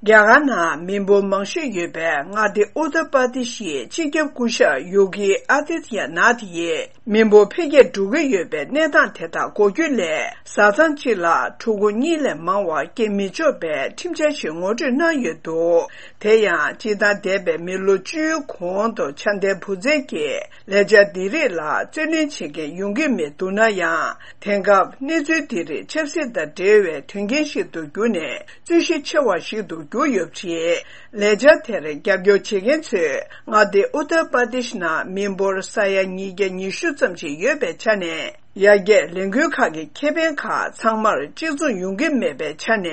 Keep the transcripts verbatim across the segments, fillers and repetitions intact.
རྒྱ་གར་ནང་མི་འབོར་མང་ཤོས་ཡོད་པའི་མངའ་སྡེ་ཨུ་ཏར་པར་དི་ཤིའི་སྤྱི་ཁྱབ་སྐུ་ཞབས་ཡོ་གི་ཨ་དི་ཏི་ཡ་ནཱ་ཐི་ཡིས། མི་འབོར་འཕེལ་རྒྱས་འགྲོ་གི་ཡོད་པའི་གནས་སྟངས་དེ་དག་འགོག་རྒྱུ་སླད། བཟའ་ཚང་གཅིག་ལ་ཕྲུ་གུ་གཉིས་ལས་མང་བ་སྐྱེ་མི་ཆོག་པའི་ཁྲིམས་འཆར་ཞིག་ངོ་སྤྲོད་གནང་ཡོད་འདུག་དེ་ཡང་སྤྱིར་བཏང་འདས་པའི་མི་ལོ་བཅུའི་གོང་དུ་ཆ་ལྡན་བུ་བཙའ་གྱི་ལས་འཆར་འདི་རིགས་ལ་རྩོད་ལེན་བྱེད་མཁན་ཡོང་གི་མེད་འདུག་ན་ཡང་། དེང་སྐབས་གནས་ཚུལ་འདི་རིགས་ཆབ་སྲིད་དང་འབྲེལ་བའི་དོན་རྐྱེན་ཞིག་ཏུ་གྱུར་ནས། རྩོད་གཞི་ཆེ་བ་ཞིག་ཏུ་གྱུར་ཡོད་པ་རེད། ལས་འཆར་དེར་རྒྱབ་སྐྱོར་བྱེད་མཁན་ཚོས། མངའ་སྡེ་ཨུ་ཏར་པར་དི་ཤི་ནང་མི་འབོར་ས་ཡ་ཉིས་བརྒྱ་ཉི་ཤུ་ཙམ་ཞིག་ཡོད་པའི་ཆ་ནས། ཡར་རྒྱས་ལས་འགུལ་ཁག་གི་ཁེ་ཕན་ཁག་ཚང་མར་གཅིག་མཚུངས་ཡོང་གི་མེད་པའི་ཆ་ནས།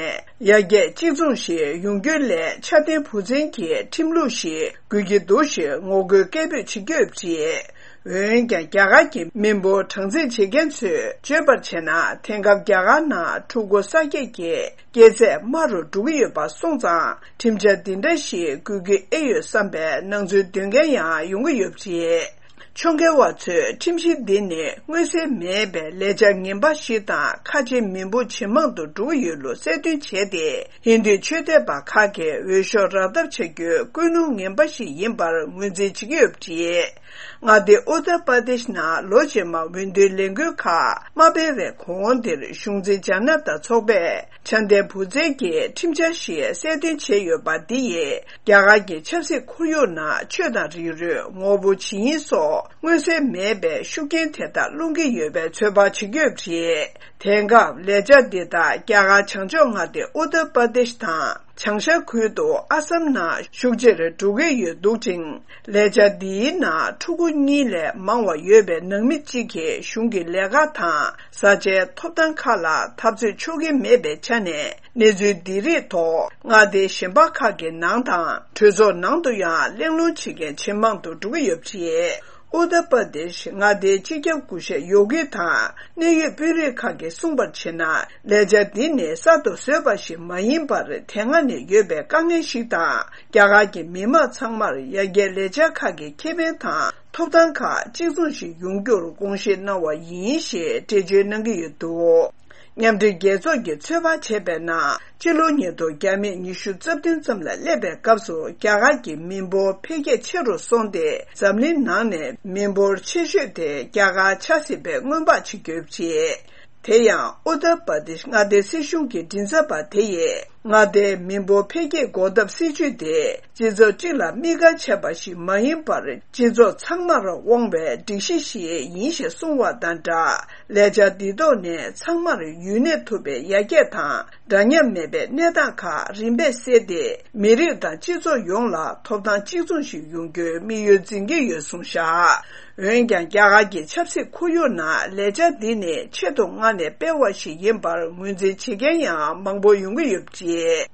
ཡར་རྒྱས་གཅིག་མཚུངས་ཤིག་ཡོང་རྒྱུ་སླད་ཆ་ལྡན་བུ་བཙའ་གྱི་ཁྲིམས་ལུགས་ཤིག་དགོས་ཀྱི་འདུག་ཞེས་ངོ་རྒོལ་སྐད་འབོད་བྱེད་ཀྱི་ཡོད་པ་རེད། འོན་ཀྱང་། རྒྱ་གར་གྱི་མི་འབོར་གྲངས་རྩིས་བྱེད་མཁན་ཚོས་བརྗོད་པར་བྱས་ན། དེང་སྐབས་རྒྱ་གར་ནང་ཕྲུ་གུ་གསར་སྐྱེས་ཀྱི་སྐྱེས་ཚད་དམའ་རུ་འགྲོ་གི་ཡོད་པ་སོང་ཙང་། ཁྲིམས་འཆར་འདི་འདྲ་ཞིག་དགོས་ཀྱི་ཨེ་ཡོད་བསམ་པའི་སྣང་ཚུལ་འདོན་མཁན་ཡང་ཡོང་གི་ཡོད་པ་རེད། ཕྱོགས་འགལ་བ་ཚོས་ཁྲིམས་གཞི་འདི་ནི་མངོན་གསལ་མེད་པའི་ལས་འཆར་ངན་པ་ཞིག་དང་། ཁ་ཆེ་མི་འབོར་ཇེ་མང་དུ་འགྲོ་གི་ཡོད་ལུགས་གསལ་སྟོན་བྱས་ཏེ། ཧིན་རྡུའི་ཆོས་དད་པ་ཁག་གིས་འོས་ཤོག་རག་ཐབས་བྱ་རྒྱུའི་ཀུན་སློང་ངན་པ་ཞིག་ཡིན་པར་ངོས་འཛིན་བྱེད་ཀྱི་ཡོད་པ་རེད། མངའ་སྡེ་ཨུ་ཏར་པར་དེཤ་ནང་ལོ་རྗེས་མར་འོས་བསྡུའི་ལས་འགུལ་ཁག་མ་སྤེལ་བའི་གོང་དེར། གཞུང་འཛིན་ཇ་ན་ཏ་ཚོགས་པས་ཆ་ལྡན་བུ་བཙའ་གྱི་ཁྲིམས་འཆར་ཞིག་གསལ་སྟོན་བྱས་ཡོད་པ་འདི་ཡིས། རྒྱ་གར་གྱི་ཆབ་སྲིད་ཁོར་ཡུག་ནང་ཆོས་དང་རིགས་རུས། ངོ་བོ་ཇི་ཡིན་སོགས་མངོན་གསལ་མེད་པའི་ཤུགས་རྐྱེན་དེ་དག་སློང་གི་ཡོད་པའི་ཚོད་དཔག་བྱེད་ཀྱི་ཡོད་པ་རེད། དེང་སྐབས་ལས་འཆར་འདི་དག་རྒྱ་གར་བྱང་ཕྱོགས་མངའ་སྡེ་ཨུ་ཏར་པར་དེཤ་དང་། བྱང་ཤར་ཁུལ་དུ་ཨ་སམ་ནང་ཤུགས་ཆེར་འགྲོ་གི་ཡོད་འདུག་ཅིང་། ལས་འཆར་འདིའི་ནང་ཕྲུ་གུ་གཉིས་ལས་མང་བ་ཡོད་པའི་ནང་མི་གཅིག་གིས་གཞུང་གི་ལས་ཀ་དང་བཟའ་བཅའི་ཐོབ་ཐང་ཁག་ལ་འཐབ་རྩོད་ཆོག་གི་མེད་པའི་ཆ་ནས། གནས་ཚུལ་འདི་རིགས་ཐོག་མངའ་སྡེ་གཞན་པ་ཁག་གི་ནང་དང་། གྲོས་ཚོགས་ནང་དུ་ཡང་གླེང་སློང་བྱེད་མཁན་ཇེ་མང་དུ་འགྲོ་གི་ཡོད་པ་རེད། ཨུ་ཏར་པར་དེཤ་མངའ་སྡེའི་སྤྱི་ཁྱབ་སྐུ་ཞབས་ཡོ་གི་དང་། གནད་ཡོད་དཔོན་རིགས་ཁག་གིས་གསུངས་པར་བྱས་ན། ལས་འཆར་འདི་ནི་གསར་དུ་བཟོས་པ་ཞིག་མ་ཡིན་པར། དེ་སྔ་ནས་ཡོད་པའི་དཀའ་ངལ་ཞིག་དང་། རྒྱ་གར་གྱི་མི་དམངས་ཚང་མར་ཡར་རྒྱས་ལས་འཆར་ཁག་གི་ཁེ་ཕན་དང་ཐོབ་ཐང་ཁག་གཅིག་མཚུངས་ཤིག་ཡོང་རྒྱུར་དགོངས་བཞེས་གནང་བ་ཡིན་ཞེས་འགྲེལ་བརྗོད་གནང་གི་ཡོད་འདུག་མཉམ་འབྲེལ་རྒྱལ་ཚོགས་ཀྱིས་ཚོད་དཔག་བྱས་པའི་ནང་། སྤྱི་ལོ་ཉིས་སྟོང་བརྒྱ་མེད་ཉི་ཤུ་རྩ་བདུན་ཙམ་ལ་སླེབས་པའི་སྐབས་སུ། རྒྱ་གར་གྱི་མི་འབོར་འཕེལ་རྒྱས་ཆེ་རུ་སོང་སྟེ། འཛམ་གླིང་ནང་ནས་མི་འབོར་ཆེ་ཤོས་དེ་རྒྱ་གར་ཆགས་སྲིད་པའི་སྔོན་དཔག་བྱེད་ཀྱི་ཡོད་པ་རེད། དེ་ཡང་ཨུ་ཏར་པར་དེཤ་མངའ་སྡེའི་སྲིད་གཞུང་གི་མགྲིན་ཚབ་པ་དེ་ཡིས། མངའ་སྡེའི་མི་འབོར་འཕེལ་རྒྱས་འགོག་ཐབས་སྲིད་ཇུས་དེ། སྤྱི་ཚོགས་གཅིག་ལ་དམིགས་བཀར་བྱས་པ་ཞིག་མ་ཡིན་པར། སྤྱི་ཚོགས་ཚང་མར་དབང་བའི་སྒྲིག་གཞི་ཞིག་ཡིན་ཞེས་གསུངས་པ་དང་སྦྲགས། ལས་འཆར་འདི་ཐོག་ནས་ཚང་མར་ཡུན་གནས་ཐུབ་པའི་ཡར་རྒྱས་དང་། འདྲ་མཉམ་མེད་པའི་གནས་སྟངས་ཁག་རིམ་པས་སེལ་ཏེ། མི་རིགས་དང་སྤྱི་ཚོགས་ཡོངས་ལ་ཐོབ་ཐང་གཅིག་མཚུངས་ཤིག་ཡོང་རྒྱུའི་དམིགས་ཡུལ་འཛིན་གྱི་ཡོད་གསུངས་བཞག་འོན་ཀྱང་། རྒྱ་གར་གྱི་ཆབ་སྲིད་ཁོར་ཡུག་ནང་ལས་འཆར་འདི་ནི་ཆེད་དུ་མངགས་ནས་སྤེལ་བ་ཞིག་ཡིན་པར་ངོས་འཛིན་བྱེད་མཁན་ཡང་མང་པོ་ཡོང་གི་ཡོད་པ་རེད།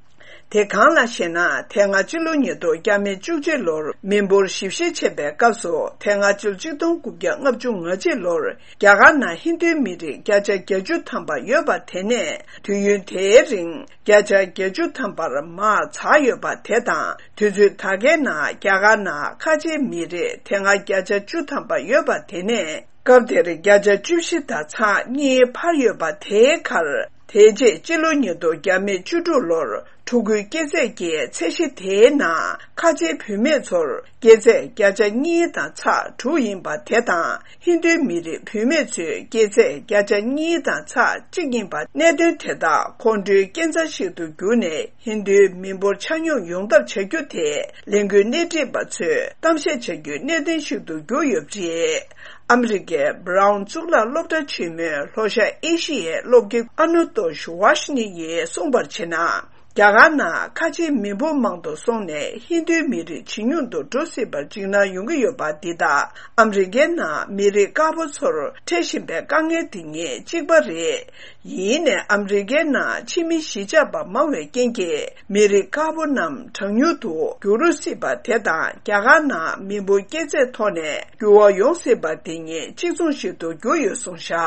དེ་གང་ལགས་ཤེ་ན། དེ་སྔ་སྤྱི་ལོ་ཉིས་སྟོང་བརྒྱ་མེད་བཅུ་གཅིག་ལོར་མི་འབོར་ཞིབ་བཤེར་བྱས་པའི་སྐབས་སུ། དེ་སྔ་ཕྱི་ལོ་ཆིག་སྟོང་དགུ་བརྒྱ་ལྔ་བཅུ་ང་གཅིག་ལོར་རྒྱ་གར་ནང་ཧིན་རྡུའི་མི་རིགས་བརྒྱ་ཆ་བརྒྱད་ཅུ་ཐམ་པ་ཡོད་པ་དེ་ནས་དུས་ཡུན་དེའི་རིང་བརྒྱ་ཆ་བརྒྱད་ཅུ་ཐམ་པར་མར་འཛེགས་ཡོད་པ་དེ་དང་། དུས་ཚོད་ད་གའི་ནང་རྒྱ་གར་ནང་ཁ་ཆེའི་མི་རིགས་དེ་སྔ་བརྒྱ་ཆ་བཅུ་ཐམ་པ་ཡོད་པ་དེ་ནས། སྐབས་དེར་བརྒྱ་ཆ་བཅུ་བཞི་དང་ཚེག་གཉིས་འཕར་ཡོད་པ་དེའི་ཁར། དེ་རྗེས་སྤྱི་ལོ་ཉིས་སྟོང་བརྒྱ་མེད་བཅུ་དྲུག་ལོར་ཕྲུ་གུའི་སྐྱེས་ཚད་ཀྱི་ཚད་གཞི་དེའི་ནང་ཁ་ཆེའི་བུད་མེད་ཚོར་སྐྱེས་ཚད་བརྒྱ་ཆ་གཉིས་དང་ཚེག་དྲུག་ཡིན་པ་དེ་དང་། ཧིན་རྡུའི་མི་རིགས་བུད་མེད་ཚོའི་སྐྱེས་ཚད་བརྒྱ་ཆ་གཉིས་དང་ཚེག་གཅིག་ཡིན་པ། གནད་དོན་དེ་དག་ཁོང་ཁྲོའི་རྐྱེན་རྩ་ཞིག་ཏུ་གྱུར་ནས། ཧིན་རྡུའི་མི་འབོར་ཆ་སྙོམས་ཡོང་ཐབས་བྱ་རྒྱུ་དེ་ལས་འགུལ་སྣེ་ཁྲིད་པ་ཚོས་གཏམ་བཤད་བྱ་རྒྱུའི་གནད་དོན་ཞིག་ཏུ་གྱུར་ཡོད་པ་རེད། ཨ་མི་རི་ཀའི་Brown་གཙུག་ལག་སློབ་གྲྭ་ཆེན་མོའི་ལྷོ་ཤར་ཨེ་ཤི་ཡའི་སློབ་དགེ་ཨ་ནུ་ཏོ་ཤི་ཝཱ་ཤི་ནི་ཡིས་གསུངས་པར་བྱས་ན། རྒྱ་གར་ནང་ཁ་ཆེའི་མི་འབོར་མང་དུ་སོང་ནས་ཧིན་རྡུའི་མི་རིགས་ཇེ་ཉུང་དུ་འགྲོ་སྲིད་པར་འཇིགས་སྣང་ཡོང་གི་ཡོད་པ་འདི་དག་ཨ་མི་རི་ཀའི་ནང་མི་རིགས་དཀར་པོ་ཚོར་འཕྲད་བཞིན་པའི་དཀའ་ངལ་འདི་གཉིས་གཅིག་པ་རེད། ཡིན་ནའི་ཨ་མི་རི་ཀའི་ནང་ཕྱི་མི་གཞིས་ཆགས་པ་མང་བའི་རྐྱེན་གྱིས། མི་རིགས་དཀར་པོ་རྣམས་གྲངས་ཉུང་དུ་འགྱུར་སྲིད་པ་དེ་དང་། རྒྱ་གར་ནང་མི་འབོར་སྐྱེས་ཚད་ཐོག་ནས་འགྱུར་བ་ཡོང་སྲིད་པ་དེ་གཉིས་གཅིག་མཚུངས་ཤིག་ཏུ་གྱུར་ཡོད་གསུངས་བཞག